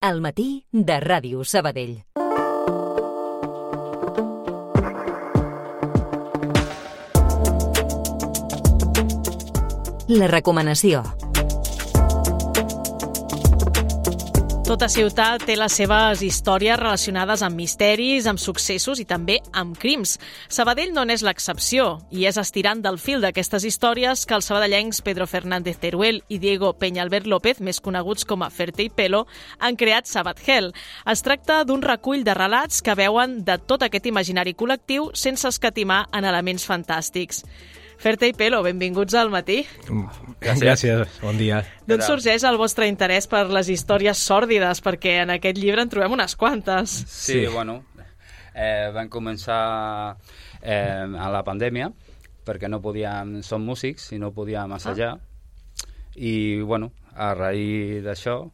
Al matí de Ràdio Sabadell. La recomanació. Tota ciutat té les seves històries relacionades amb misteris, amb successos i també amb crims. Sabadell no n'és l'excepció, i és estirant del fil d'aquestes històries que els sabadellencs Pedro Fernández Teruel i Diego Peñalver López, més coneguts com a Ferte i Pelo, han creat Sabadell. Es tracta d'un recull de relats que veuen de tot aquest imaginari col·lectiu sense escatimar en elements fantàstics. Ferte i Pelo, benvinguts al matí. Gràcies, bon dia. D'on sorgeix el vostre interès per les històries sòrdides? Perquè en aquest llibre en trobem unes quantes. Sí, bueno, van començar a la pandèmia, perquè no podíem, som músics i no podíem assajar. I, bueno, a raïs d'això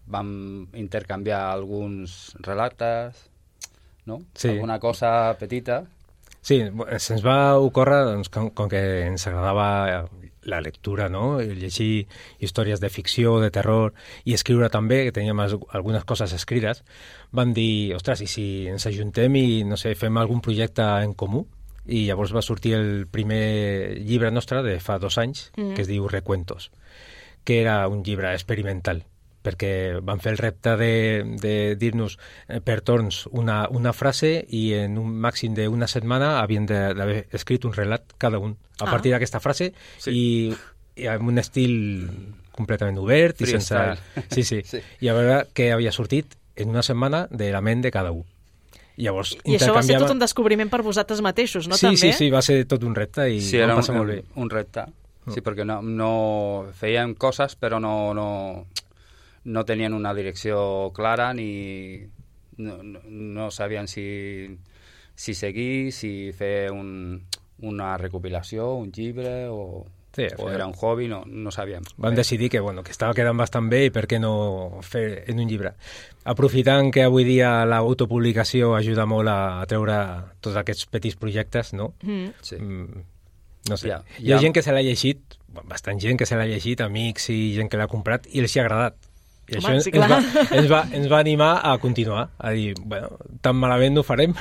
vam intercanviar alguns relates, no? Sí. Alguna cosa petita. Sí, se'ns va ocórrer, doncs, com que ens agradava la lectura, no? Llegir històries de ficció, de terror, i escriure també, que teníem algunes coses escrites, vam dir, ostres, i si ens ajuntem i, no sé, fem algun projecte en comú? I llavors va sortir el primer llibre nostre de fa 2 anys, que es diu Recuentos, que era un llibre experimental, perquè van fer el repte de dir-nos per torns una frase i en un màxim d'una setmana havien d'haver escrit un relat cada un a partir d'aquesta frase, i amb un estil completament obert i sense... Sí. I a veure què havia sortit en una setmana de la ment de cada un. Llavors, I això va ser tot un descobriment per vosaltres mateixos, no? Sí, també? sí, va ser tot un repte i vam passar molt bé. Un repte, sí, perquè no fèiem coses però no tenien una direcció clara ni no sabien si seguir, si fer una recopilació, un llibre o era un hobby, no sabíem. Vam decidir que estava quedant bastant bé i per què no fer en un llibre. Aprofitant que avui dia l'autopublicació ajuda molt a treure tots aquests petits projectes, no? Sí. No sé. Hi ha gent que se l'ha llegit, bastant gent que se l'ha llegit, amics i gent que l'ha comprat i els hi ha agradat. I home, això ens va animar a continuar, a dir, bueno, tan malament no ho farem.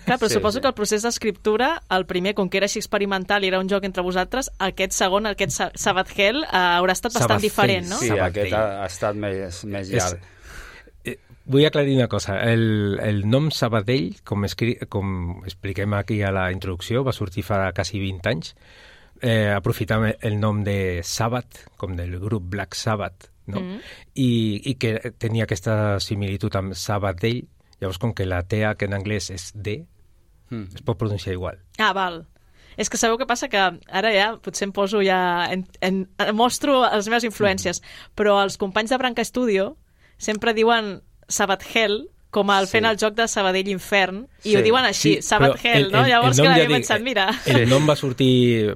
Clar, però suposo que el procés d'escriptura, el primer, com que era així experimental i era un joc entre vosaltres, aquest segon, aquest Sabadell, haurà estat bastant diferent, no? Sí, aquest ha estat més llarg. Vull aclarir una cosa. El nom Sabadell, com expliquem aquí a la introducció, va sortir fa quasi 20 anys, aprofitant el nom de Sabbath, com del grup Black Sabbath, no? I que tenia aquesta similitud amb Sabadell. Llavors, com que la T que en anglès és D, es pot pronunciar igual. Ah, val. És que sabeu què passa? Que ara ja potser em poso mostro les meves influències, però els companys de Branca Studio sempre diuen Sabadell com fent el joc de Sabadell Infern, i ho diuen així, Sabadell, no? Llavors que l'havia pensat, mira... El nom va sortir...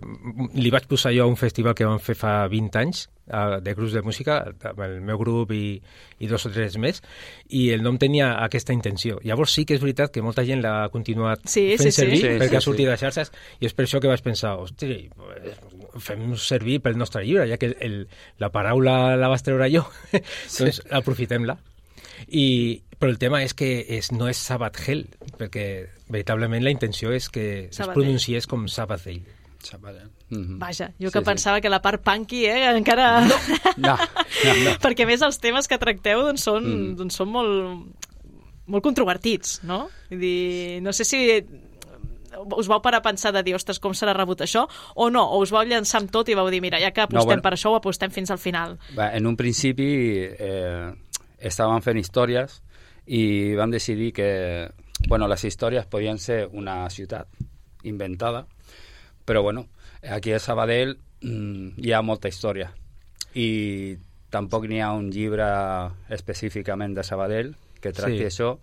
Li vaig posar jo a un festival que vam fer fa 20 anys, de grups de música, amb el meu grup i 2 o 3 més, i el nom tenia aquesta intenció. Llavors sí que és veritat que molta gent l'ha continuat fent servir, perquè ha sortit de xarxes, i és per això que vaig pensar, hosti, fem servir pel nostre llibre, ja que la paraula la vas treure jo, doncs aprofitem-la. Però el tema és que no és Sabadell, perquè veritablement la intenció és que es pronunciés com Sabadell. Vaja, jo que pensava que la part punky, encara... No. Perquè a més els temes que tracteu són molt controvertits, no? Vull dir, no sé si us vau parar a pensar de dir, ostres, com serà rebut això, o no, o us vau llançar amb tot i vau dir, mira, ja que apostem per això, ho apostem fins al final. En un principi estàvem fent històries i vam decidir que les històries podien ser una ciutat inventada, però aquí a Sabadell hi ha molta història i tampoc n'hi ha un llibre específicament de Sabadell que tracti això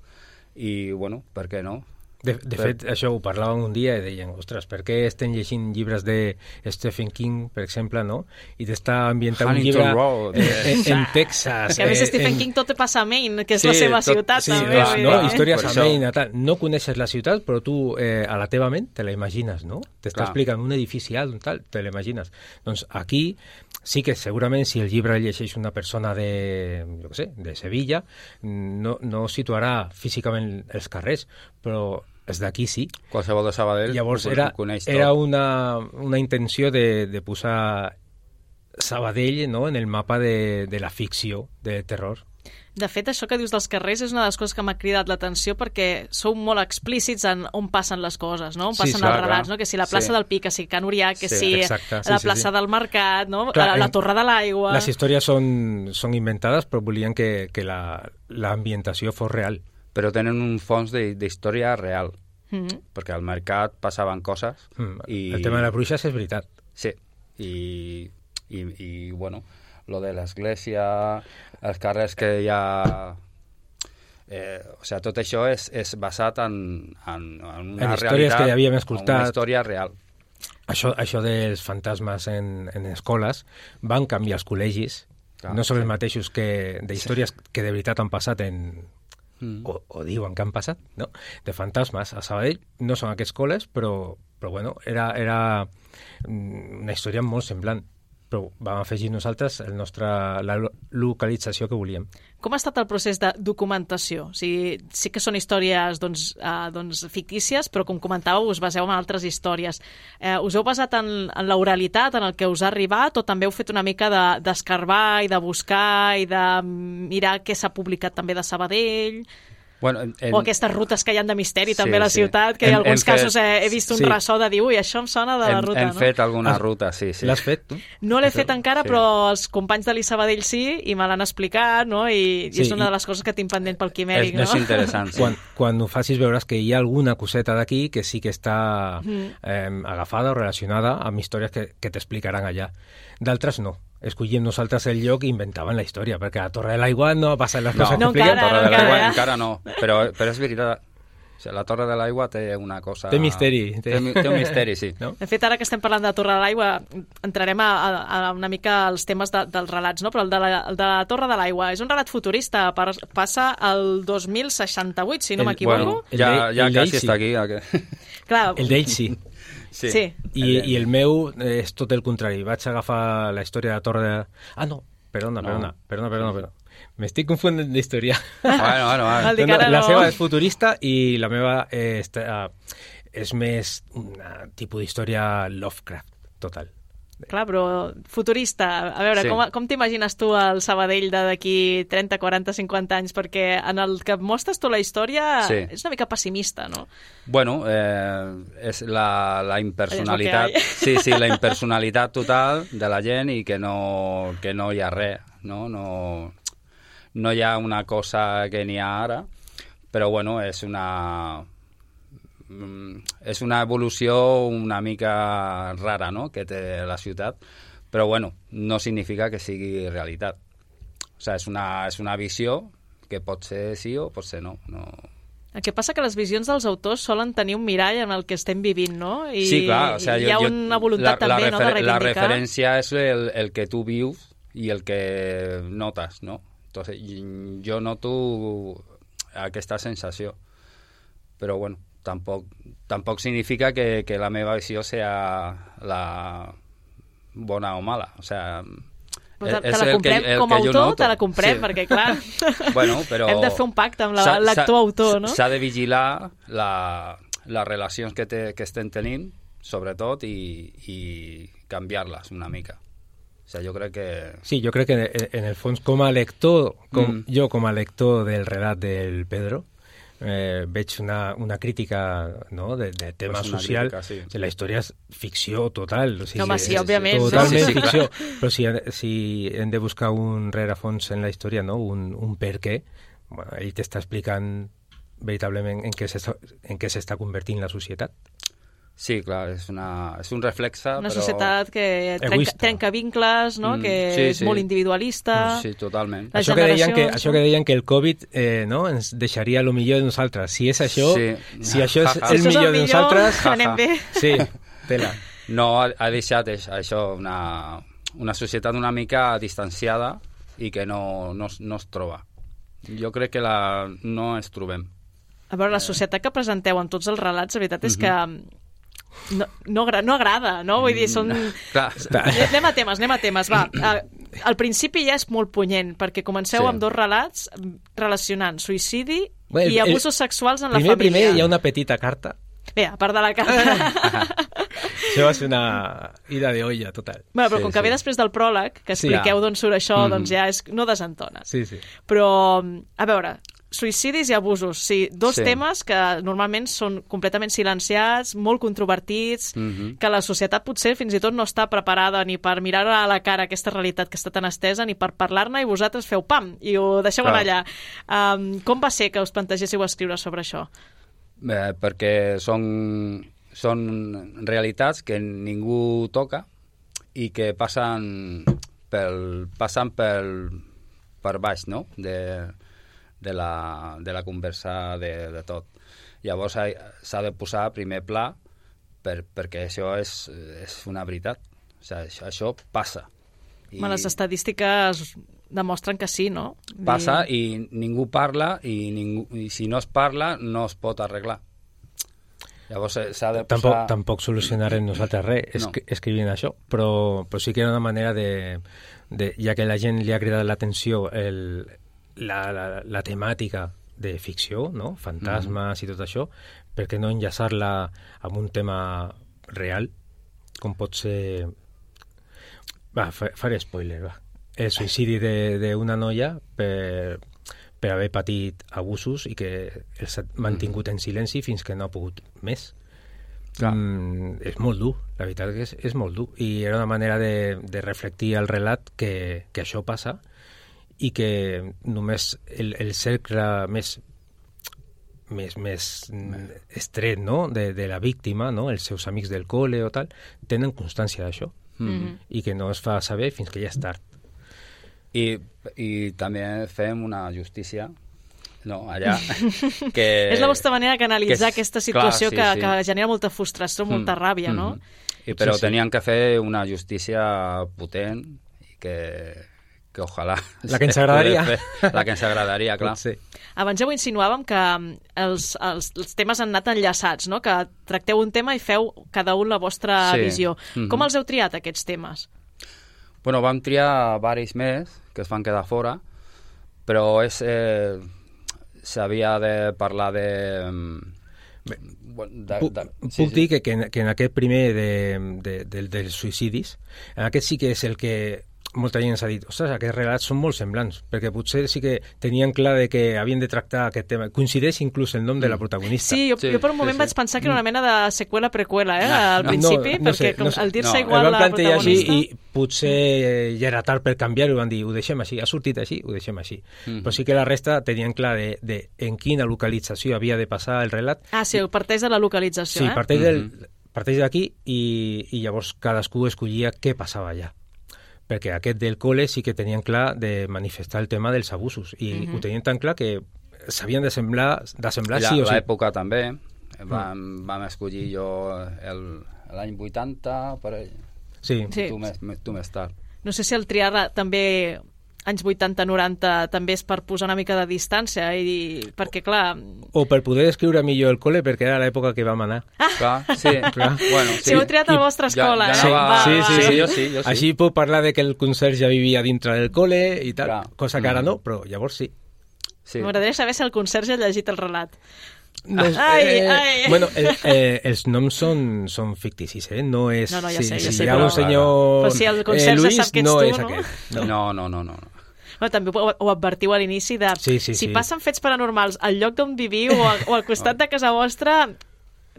i, per què no? De fet, això ho parlàvem un dia i deien, ostres, per què estem llegint llibres de Stephen King, per exemple, no? I t'està ambientant un llibre en Texas. Que a més Stephen King tot passa a Maine, que és la seva ciutat. Sí, històries a Maine. No coneixes la ciutat, però tu a la teva ment te la imagines, no? T'està explicant un edifici alt, tal, te l'imagines. Doncs aquí sí que segurament si el llibre llegeix una persona de, jo què sé, de Sevilla, no situarà físicament els carrers, però els d'aquí sí. Qualsevol de Sabadell llavors coneix tot. era una intenció de posar Sabadell, no?, en el mapa de la ficció, de terror. De fet, això que dius dels carrers és una de les coses que m'ha cridat l'atenció perquè sou molt explícits en on passen les coses, no? On passen els relats, no? Que si la plaça del Pi, que si Can Orià, que si la plaça del Mercat, no? Clar, la Torre de l'Aigua... Les històries són inventades, però volien que l'ambientació fos real. Però tenen un fons d'història real, perquè al mercat passaven coses i... El tema de les bruixes és veritat. Sí, i bueno, lo de l'església, els carrers que hi ha... o sigui, tot això és basat en una històries que ja havíem escoltat. Una història real. Això dels fantasmes en escoles van canviar els col·legis, no són els mateixos d'històries que de veritat han passat o diuen que han passat, no? De fantasmes a Sabadell no són aquests col·les, però era una història molt semblant, però vam afegir nosaltres la localització que volíem. Com ha estat el procés de documentació? O sigui, sí que són històries fictícies, però com comentàveu, us baseu en altres històries. Us heu basat en l'oralitat, en el que us ha arribat, o també heu fet una mica d'escarbar i de buscar i de mirar què s'ha publicat també de Sabadell? Bueno, o aquestes rutes que hi ha de misteri també a la ciutat, que en alguns casos he vist un ressò de dir, ui, això em sona de la ruta, no? Hem fet alguna ruta, sí. L'has fet, tu? No l'he fet encara, però els companys de l'Isabadell sí, i me l'han explicat, no? I és una de les coses que tinc pendent pel Quimèric, no? És interessant, sí. Quan ho facis veuràs que hi ha alguna coseta d'aquí que sí que està agafada o relacionada amb històries que t'explicaran allà. D'altres no. Escollíem nosaltres el lloc i inventaven la història, perquè a la Torre de l'Aigua no passen les coses que expliquen. No, Torre de l'Aigua encara no, però és veritat. O sigui, la Torre de l'Aigua té una cosa... Té misteri. Té un misteri, sí. No? De fet, ara que estem parlant de la Torre de l'Aigua, entrarem a una mica als temes dels relats, no? Però el de la Torre de l'Aigua és un relat futurista, passa al 2068, si no m'equivoco. Bueno, ja quasi està aquí. Clar, el d'ell sí. Sí. I el meu és tot el contrari. Vaig agafar la història de la Torre de... Ah, no, perdona. M'estic confondent d'història. Bueno. La seva és futurista i la meva és més un tipus d'història Lovecraft, total. Clar, però futurista. A veure, com t'imagines tu el Sabadell d'aquí 30, 40, 50 anys? Perquè en el que mostres tu la història és una mica pessimista, no? Bueno, és la impersonalitat. Sí, la impersonalitat total de la gent i que no hi ha res, no? No hi ha una cosa que n'hi ha ara, però bueno, és una evolució una mica rara, no?, que té la ciutat, però bueno, no significa que sigui realitat. O sigui, és una visió que pot ser sí o pot ser no. El que passa que les visions dels autors solen tenir un mirall en el que estem vivint, no? I sí, clar. O sigui, hi ha una voluntat també, no?, de reivindicar. La referència és el que tu vius i el que notes, no? Entonces, jo noto aquesta sensació, però bueno, tampoc significa que la meva visió sea la bona o mala. O sea, te la comprem com a autor, te la comprem, perquè clar, bueno, però hem de fer un pacte amb l'actor autor, no? S'ha de vigilar les relacions que estem tenint, sobretot, i canviar-les una mica. O sigui, jo crec que... Sí, jo crec que en el fons, com a lector, jo com a lector del relat del Pedro, veig una crítica, no?, de tema social. Crítica, sí. La història és ficció total. O sigui, home, sí, òbviament. Totalment ficció. Però si hem de buscar un rerefons en la història, no?, un per què, bueno, ell t'està explicant veritablement en què s'està convertint la societat. Sí, clar, és un reflexe, una però... societat que trenca vincles, no? Que és molt individualista. Sí, totalment. Això que deien que el Covid ens deixaria el millor de nosaltres. Si és això, si això és el millor de nosaltres... anem bé. Sí, tela. No, ha deixat això una societat una mica distanciada i que no es troba. Jo crec que no es trobem. A veure, la societat que presenteu en tots els relats, la veritat és que no agrada, no? Vull dir, són... Clar. Anem a temes, va. Al principi ja és molt punyent, perquè comenceu amb dos relats relacionant suïcidi i abusos sexuals en la família. Primer hi ha una petita carta. Bé, a part de la carta... Això va ser una ida de olla total. Bueno, però com que ve després del pròleg, que expliqueu d'on surt això, doncs ja no desentona. Sí. Però, a veure, suïcidis i abusos, sí, dos temes que normalment són completament silenciats, molt controvertits, que la societat potser fins i tot no està preparada ni per mirar a la cara aquesta realitat que està tan estesa, ni per parlar-ne, i vosaltres feu pam, i ho deixeu anar allà. Com va ser que us plantegéssiu escriure sobre això? Bé, perquè són realitats que ningú toca i que passen per baix, no?, de la conversa de tot. Llavors s'ha de posar a primer pla perquè això és una veritat. O sigui, això passa. Les estadístiques demostren que sí, no? Passa i ningú parla i si no es parla no es pot arreglar. Llavors s'ha de posar... Tampoc solucionarem nosaltres res escrivint això, però sí que era una manera ja que a la gent li ha cridat l'atenció la temàtica de ficció, no? Fantasmes i tot això, per què no enllaçar-la amb un tema real, com pot ser... faré spoiler, va. El suïcidi d'una noia per haver patit abusos i que s'ha mantingut en silenci fins que no ha pogut més. És molt dur, la veritat que és molt dur. I era una manera de reflectir el relat que això passa i que només el cercle més estret, no?, de la víctima, no?, els seus amics del col·le o tal, tenen constància d'això i que no es fa saber fins que ja és tard. I també fem una justícia, no, allà, que... És la vostra manera de canalitzar aquesta situació que genera molta frustració, molta ràbia, no? Però tenien que fer una justícia potent i que ojalà... La que ens agradaria. La que ens agradaria, clar. Sí. Abans ja ho insinuàvem que els temes han anat enllaçats, no? Que tracteu un tema i feu cada un la vostra visió. Com els heu triat, aquests temes? Bueno, vam triar varis més que es van quedar fora, però s'havia de parlar de... Puc dir que en aquest primer dels suïcidis, en aquest sí que és el que molta gent s'ha dit, ostres, aquests relats són molt semblants, perquè potser sí que tenien clar de que havien de tractar aquest tema. Coincideix inclús el nom de la protagonista. Sí, jo per un moment vaig pensar que era una mena de seqüela-preqüela, al principi, perquè al dir-se igual la protagonista... Així, i potser ja era tard per canviar-ho, van dir, ho deixem així, ha sortit així, ho deixem així. Però sí que la resta tenien clar de en quina localització havia de passar el relat. Ah, sí, parteix de la localització, Sí, parteix d'aquí i llavors cadascú escollia què passava allà. Perquè aquest del col·le sí que tenien clar de manifestar el tema dels abusos i ho tenien tan clar que s'havien de semblar sí o sí. L'època també, vam escollir jo l'any 80 per ell. Sí. Tu més tard. No sé si el triar també anys 80-90 també és per posar una mica de distància perquè clar... O per poder descriure millor el col·le perquè era l'època que vam anar. Clar, sí. Bueno, si heu triat a la vostra escola, Sí, jo sí. Així puc parlar de que el conserge vivia dintre del col·le i tal, cosa que ara no, però llavors sí. M'agradaria saber si el conserge ha llegit el relat. No, bueno, els noms són ficticis, No és... No, ja sé, si hi ha un senyor però si el conserge Luis, sap que ets no tu, és no? aquest. No. Bueno, també ho advertiu a l'inici de... Si passen fets paranormals al lloc d'on viviu o al costat de casa vostra,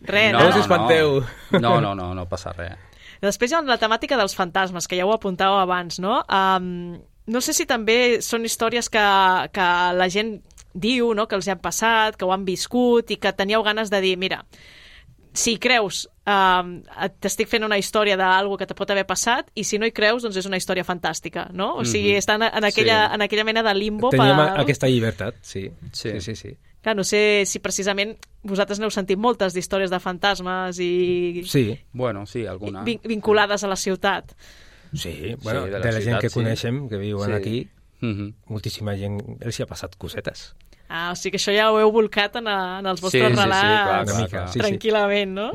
res, no us espanteu. No passa res. Després hi ha la temàtica dels fantasmes, que ja ho apuntàveu abans, no? No sé si també són històries que la gent diu, no?, que els han passat, que ho han viscut i que teníeu ganes de dir, mira, si creus, t'estic fent una història d'algú que te pot haver passat, i si no hi creus, doncs és una història fantàstica, no? O sigui, estan en aquella mena de limbo. Teníem aquesta llibertat, sí. Clar, no sé si precisament vosaltres n'heu sentit moltes d'històries de fantasmes i... Sí. Bueno, sí, alguna. Vinculades a la ciutat. Sí, bueno, de la gent que coneixem, que viuen aquí, moltíssima gent els hi ha passat cosetes. O sigui que això ja ho heu volcat en els vostres relats clar. tranquil·lament, no?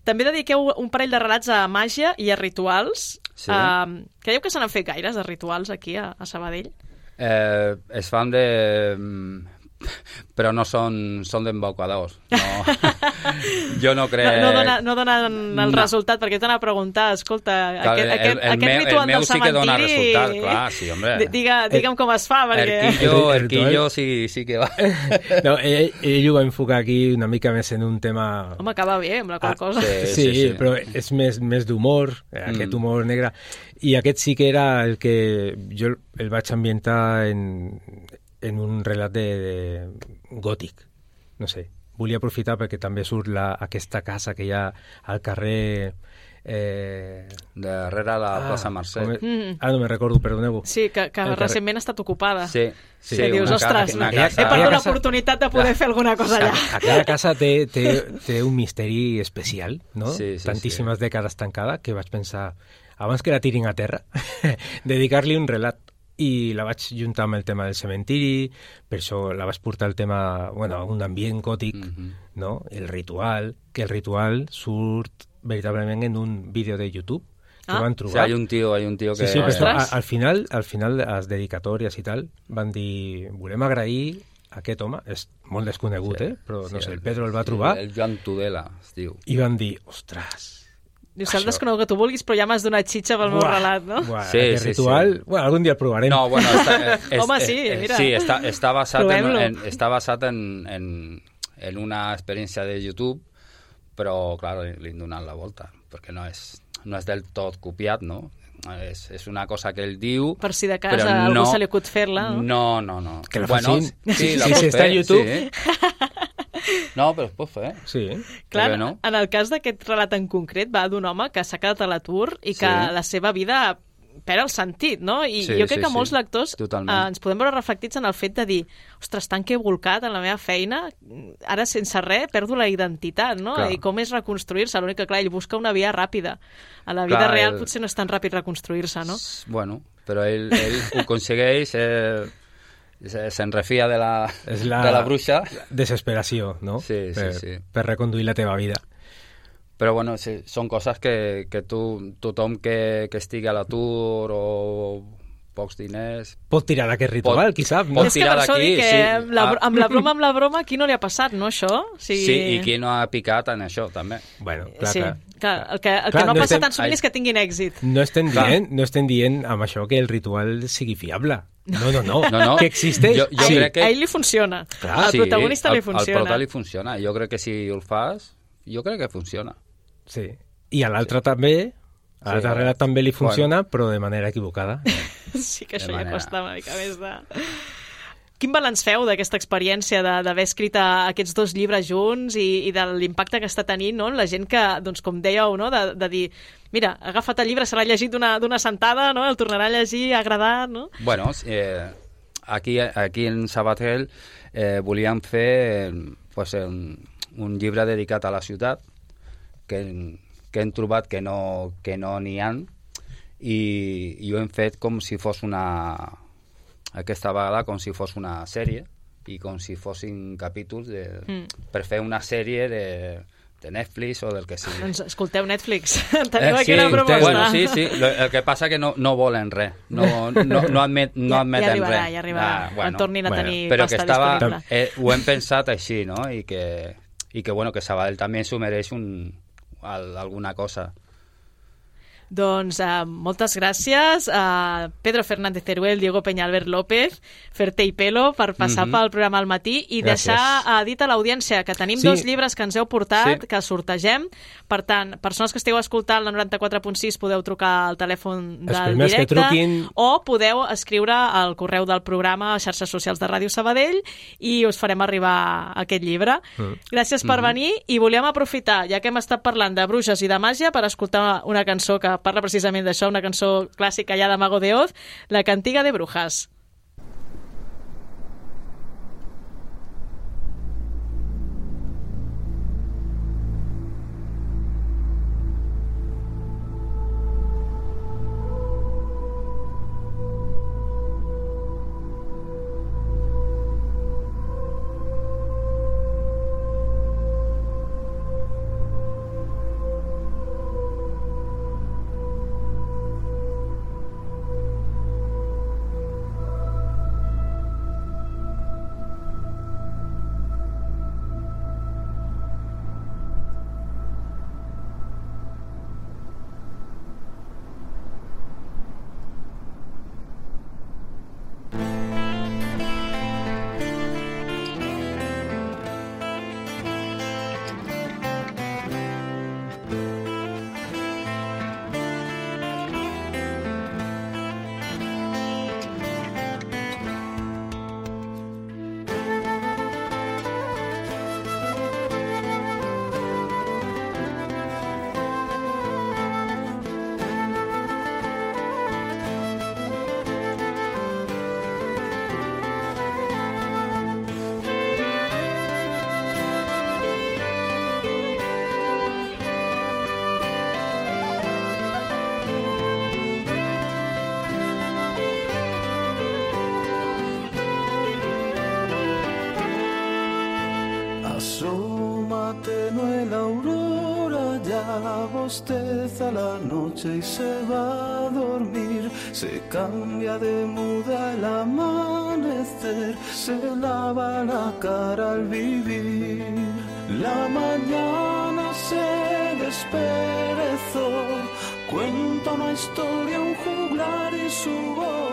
També dediqueu un parell de relats a màgia i a rituals. Creieu que se n'han fet gaires de rituals aquí a Sabadell? Es fan de... però no són d'embaucadors. No. Jo no crec... No donen el resultat, perquè t'anava a preguntar, escolta, aquest ritual del cementiri... sí que dona resultat, clar, sí, hombre. Digue'm com es fa, perquè... Erquillo sí que va. No, ell ho va enfocar aquí una mica més en un tema... Home, acaba bé amb la qual cosa. Sí, però és més d'humor, aquest humor negre. I aquest sí que era el que jo el vaig ambientar en un relat de gòtic, no sé. Volia aprofitar perquè també surt aquesta casa que hi ha al carrer... darrere la plaça Mercè. No me'n recordo, perdoneu. Sí, que recentment ha estat ocupada. Sí. Que dius, ostres, he perdut l'oportunitat de poder fer alguna cosa allà. Aquella casa té un misteri especial, no? Tantíssimes dècades tancada, que vaig pensar, abans que la tirin a terra, dedicar-li un relat. I la vaig juntar amb el tema del cementiri, per això la vaig portar el tema, un ambient gòtic, no? El ritual surt veritablement en un vídeo de YouTube que van trobar. Sí, hay un tío que... Sí, però al final, les dedicatòries i tal, van dir, volem agrair aquest home, és molt desconegut, però no sé, el Pedro el va trobar. El Joan Tudela, es diu. I van dir, ostres... Dius, el desconegut que tu vulguis, però ja m'has donat xitxa pel meu relat, no? Aquest ritual, algun dia el provarem. No, bueno... Home, sí, mira. Sí, està basat en una experiència de YouTube, però, clar, li han donat la volta, perquè no és del tot copiat, no? És una cosa que ell diu... Per si de cas a algú se li acut fer-la, no? No. Que la facin. Sí, si està a YouTube... No, però es pot fer. Sí. Clar, en el cas d'aquest relat en concret va d'un home que s'ha quedat a l'atur i que la seva vida perd el sentit, no? I jo crec que molts lectors ens podem veure reflectits en el fet de dir, ostres, tant que he volcat en la meva feina, ara sense res perdo la identitat, no? I com és reconstruir-se? L'únic que, clar, ell busca una via ràpida. A la vida real potser no és tan ràpid reconstruir-se, no? Bueno, però ell ho aconsegueix... se'n refia de la bruixa. Desesperació, no? Sí. Per reconduir la teva vida. Però bueno, són coses que tothom que estigui a l'atur o pocs diners... Pot tirar d'aquest ritual, qui sap, no? És que per això dic que amb la broma, qui no li ha passat, no, això? Sí, i qui no ha picat en això, també. Bueno, clar. El que no ha passat en sovint és que tinguin èxit. No estem dient amb això que el ritual sigui fiable. No. Que existeix. Jo crec que... A ell li funciona. Al protagonista li funciona. Al prota li funciona. Jo crec que si el fas, jo crec que funciona. Sí. I a l'altre també, a l'altre relat també li funciona, però de manera equivocada. Sí que això ja costa una mica més de... Quin balanç feu d'aquesta experiència d'haver escrit aquests dos llibres junts i de l'impacte que està tenint, no? La gent que, doncs, com dèieu, no? de dir, mira, ha agafat el llibre, se l'ha llegit d'una sentada, no? El tornarà a llegir, ha agradat, no? Bueno, aquí en Sabadell volíem fer un llibre dedicat a la ciutat, que hem trobat que no n'hi ha, i ho hem fet com si fos aquesta vegada com si fos una sèrie i com si fossin capítols per fer una sèrie de Netflix o del que sigui. Doncs escolteu Netflix, teniu aquí una proposta. Bueno, sí, el que passa que no volen res, no admeten res. Ja arribarà, quan tornin a tenir però pasta disponible. Ho hem pensat així, no? I que Sabadell també s'ho mereix alguna cosa. Doncs moltes gràcies a Pedro Fernández Teruel, Diego Peñalver López, Ferté i Pelo per passar pel programa al matí i deixar dit a l'audiència que tenim dos llibres que ens heu portat, que sortegem. Per tant, persones que esteu escoltant la 94.6 podeu trucar al telèfon del directe o podeu escriure al correu del programa a xarxes socials de Ràdio Sabadell i us farem arribar aquest llibre. Gràcies per venir i volíem aprofitar, ja que hem estat parlant de bruixes i de màgia, per escoltar una cançó que parla precisament d'això, una cançó clàssica ja de Mago de Oz, La Cantiga de Brujas. Asoma tenue la aurora, ya bosteza la noche y se va a dormir. Se cambia de muda el amanecer, se lava la cara al vivir. La mañana se desperezó, cuenta una historia, un juglar y su voz.